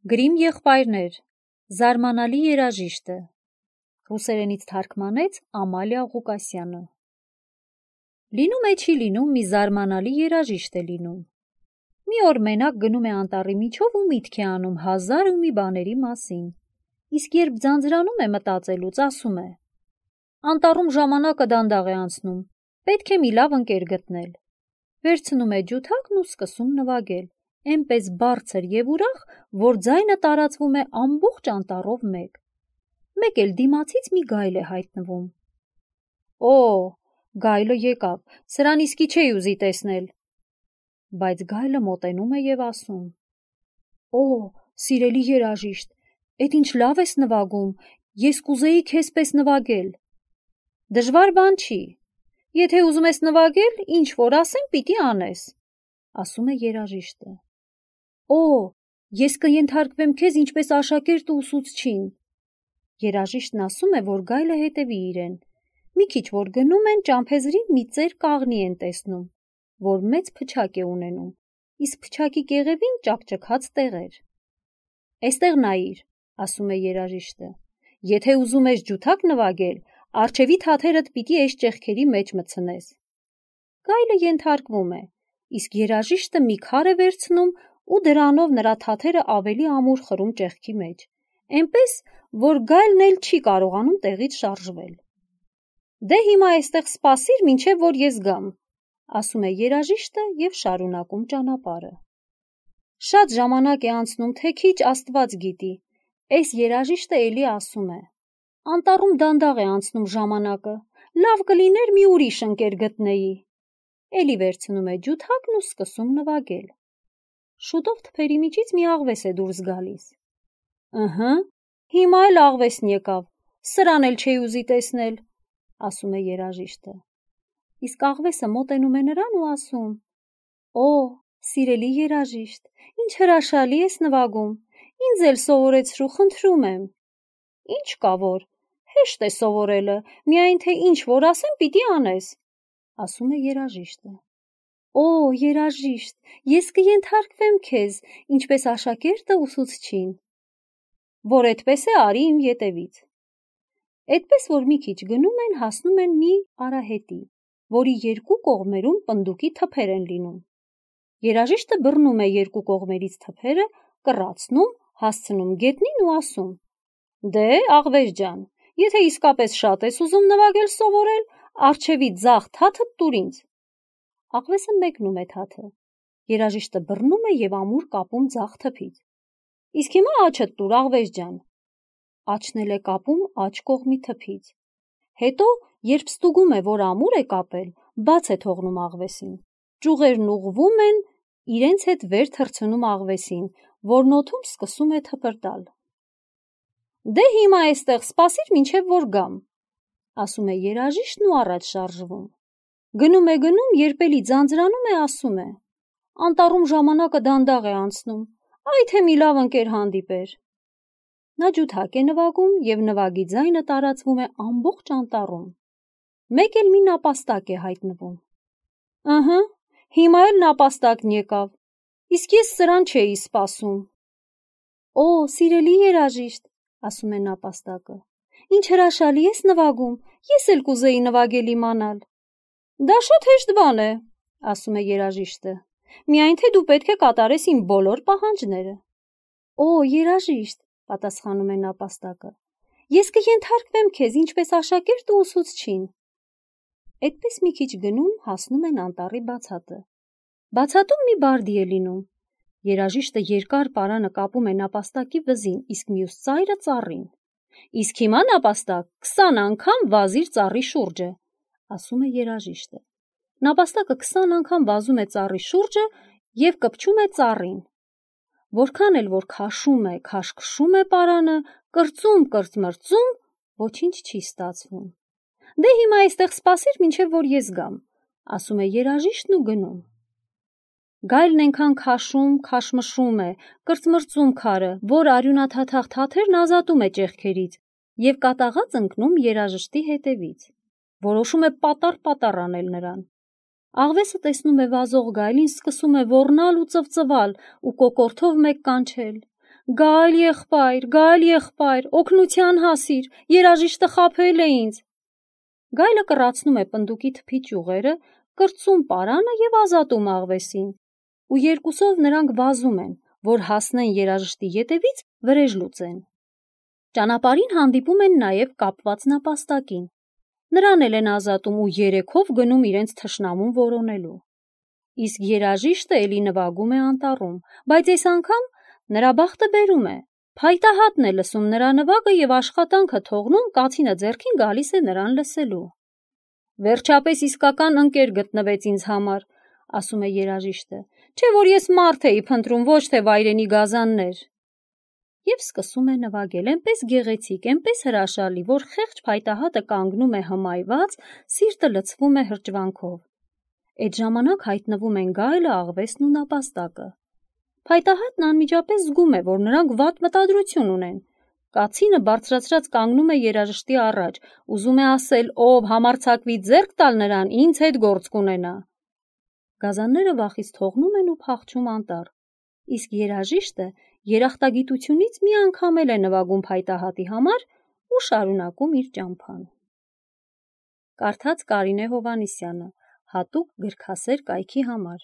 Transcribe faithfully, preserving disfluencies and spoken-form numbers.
Գրիմ եղբայրներ, զարմանալի երաժիշտը, ռուսերենից թարգմանեց Ամալիա Ղուկասյանը։ Լինում է չի լինում մի զարմանալի երաժիշտ է լինում։ Մի օր մենակ գնում է անտառի միջով ու միտք է անում հազար ու մի բաների մասին, իսկ երբ ձանձրանում է մտածելուց, ասում է. անտառում ժամանակը դանդաղ է անցնում, պետք է մի լավ ընկեր գտնել։ Վերցնում է ջութակն ու սկսում նվագել, այնպես բարձր և ուրախ, որ ձայնը տարածվում է ամբողջ անտառով մեկ։ Մեկ էլ դիմացից մի գայլ է հայտնվում։ Օ, գայլը եկավ, սրան իսկի չէի ուզի տեսնել։ Բայց գայլը մոտենում է և ասում. Օ, սիրելի երաժիշտ, էդ ինչ լավ ես նվագում, ես կուզեի քեզ պես նվագել։ Դժվար բան չի, եթե ուզում ես նվագել, ինչ որ ասեմ, պիտի անես, ասում է երաժիշտը։ Օ, ես կենթարկվեմ քեզ ինչպես աշակերտ ու ուսուցչին։ Երաժիշտն ասում է, որ գայլը հետևի իրեն։ Մի քիչ որ գնում են, ճամփեզրին մի ծեր կաղնի են տեսնում, որ մեծ փչակ է ունենում, իսկ փչակի կեղևին ճաքճքած տեղեր։ Էստեղ նայիր, ասում է երաժիշտը, եթե ուզում ես ջութակ նվագել, առջևի թաթերդ պիտի այս ճեղքերի մեջ մտցնես։ Գայլը ենթարկվում է, իսկ երաժիշտը մի քար է վերցնում ու դրանով նրա թաթերը ավելի ամուր խրում ճեղքի մեջ, այնպես, որ գայլն էլ չի կարողանում տեղից շարժվել։ Դե հիմա այստեղ սպասիր, մինչև որ ես գամ, ասում է երաժիշտը և շարունակում ճանապարհը։ Շատ ժամանակ է անցնում, թե քիչ Աստված գիտի, այս երաժիշտը էլի ասում է. անտառում դանդաղ է անցնում ժամանակը, լավ կլիներ մի ուրիշ ընկեր գտնեի։ Էլի վերցնում է ջութակն ու սկսում նվագել։ Շուտով թփերի միջից մի աղվես է դուրս գալիս։ Ըհը, հիմա էլ աղվեսն եկավ, սրան էլ չէի ուզի տեսնել, ասում է երաժիշտը։ Իսկ աղվեսը մոտենում է նրան ու ասում. Օ, սիրելի երաժիշտ, ինչ հրաշալի ես նվագում, ինձ էլ սովորեցրու, խնդրում եմ։ Ինչ կա որ, հեշտ է սովորելը, միայն թե ինչ որ ասեմ, պիտի անես, ասում է երաժիշտը։ Օ, երաժիշտ, ես կենթարկվեմ քեզ, ինչպես աշակերտը ուսուցչին։ Որ այդպես է, արի իմ ետևից։ Այդպես որ մի քիչ գնում են, հասնում են մի արահետի, որի երկու կողմերում պնդուկի թփեր են լինում։ Երաժիշտը բռնում է երկու կողմերից թփերը, կռացնում, հասցնում գետնին ու ասում. Դե, աղվես ջան, եթե իսկապես շատ ես ուզում նվագել սովորել, առջևի ձախ թաթը տուր ինձ։ Աղվեսը մեկնում է թաթը։ Երաժիշտը բռնում է և ամուր կապում ձախ թփից։ Իսկ հիմա աչդ տուր, աղվես ջան։ Աչն էլ է կապում աջ կողմի թփից։ Հետո, երբ ստուգում է, որ ամուր է կապել, բաց է թողնում աղվեսին։ Ճյուղերն ուղղվում են, իրենց հետ վեր թռցնում աղվեսին, որն օդում սկսում է թպրտալ։ Դե հիմա այստեղ սպասիր, մինչև որ գամ, ասում է երաժիշտն ու առաջ շարժվում։ Գնում է գնում, երբ էլի ձանձրանում է, ասում է. անտառում ժամանակը դանդաղ է անցնում, այ թե մի լավ ընկեր հանդիպեր։ Նա ջութակ է նվագում և նվագի ձայնը տարածվում է ամբողջ անտառում։ Մեկ էլ մի նապաստակ է հայտնվում։ Ըհը, հիմա էլ նապաստակն եկավ, իսկ ես սրան չէի սպասում։ Օ, սիրելի երաժիշտ, ասում է նապաստակը, ինչ հրաշալի ես նվագում, ես էլ կուզեի նվագել իմանալ։ Դա շատ հեշտ բան է, ասում է երաժիշտը, միայն թե դու պետք է կատարես իմ բոլոր պահանջները։ Օ, երաժիշտ, պատասխանում է նապաստակը, ես կենթարկվեմ քեզ ինչպես աշակերտ ու ուսուցչին։ Այդպես մի քիչ գնում, հասնում են անտառի բացատը։ Բացատում մի բարդի է լինում։ Երաժիշտը երկար պարանը կապում է նապաստակի վզին, իսկ մյուս ծայրը ծառին։ Իսկ հիմա նապաստակ, քսան անգամ վազիր ծառի շուրջը, ասում է երաժիշտը։ Նապաստակը քսան անգամ վազում է ծառի շուրջը և կպչում է ծառին։ Որքան էլ որ քաշում է, քաշքշում է պարանը, կրծում, կրծմրծում, ոչինչ չի ստացվում։ Դե հիմա այստեղ սպասիր, մինչև որ ես գամ, ասում է երաժիշտն ու գնում։ Գայլն այնքան քաշում, քաշմշում է, կրծմրծում քարը, որ արյունաթաթախ թաթերն ազատում է ճեղքերից և կատաղած ընկնում երաժշտի հետևից։ Որոշում է պատառ-պատառ անել նրան։ Աղվեսը տեսնում է վազող գայլին, սկսում է ոռնալ ու ծվծվալ ու կոկորդով մեկ կանչել. Գալ եղբայր, գալ եղբայր, օգնության հասիր, երաժիշտը խաբել է ինձ։ Գայլը կռացնում է պնդուկի թփի ճյուղերը, կրծում պարանը եւ ազատում աղվեսին, ու երկուսով նրանք վազում են, որ հասնեն երաժշտի ետևից վրեժ լուծեն։ Ճանապարհին հանդիպում են նաեւ կապված նապաստակին։ Նրան էլ են ազատում ու երեքով գնում իրենց թշնամուն որոնելու։ Իսկ երաժիշտը էլի նվագում է անտառում, բայց այս անգամ նրա բախտը բերում է։ Փայտահատն է լսում նրա նվագը եւ աշխատանքը թողնում, կացինը ձեռքին գալիս է նրան լսելու։ Վերջապես իսկական ընկեր գտնվեց ինձ համար, ասում է երաժիշտը, չէ որ ես մարդ էի փնտրում, ոչ թե վայրենի գազաններ։ Եվ սկսում է նվագել, այնպես գեղեցիկ, այնպես հրաշալի, որ խեղճ փայտահատը կանգնում է հմայված, սիրտը լցվում է հրճվանքով։ Այդ ժամանակ հայտնվում են գայլը, աղվեսն ու նապաստակը։ Փայտահատն անմիջապես զգում է, որ նրանք վատ մտադրություն ունեն։ Կացինը բարձրացրած կանգնում է երաժշտի առաջ, ուզում է ասել, ով համարձակվի ձեռք տալ նրան, ինձ հետ գործ կունենա։ Գազանները վախից թողնում են ու փախչում անտառ, իսկ երաժիշտը երախտագիտությունից մի անգամ էլ է նվագում փայտահատի համար ու շարունակում իր ճամփան։ Կարդաց Կարինե Հովհաննիսյանը, հատուկ գրքասեր կայքի համար։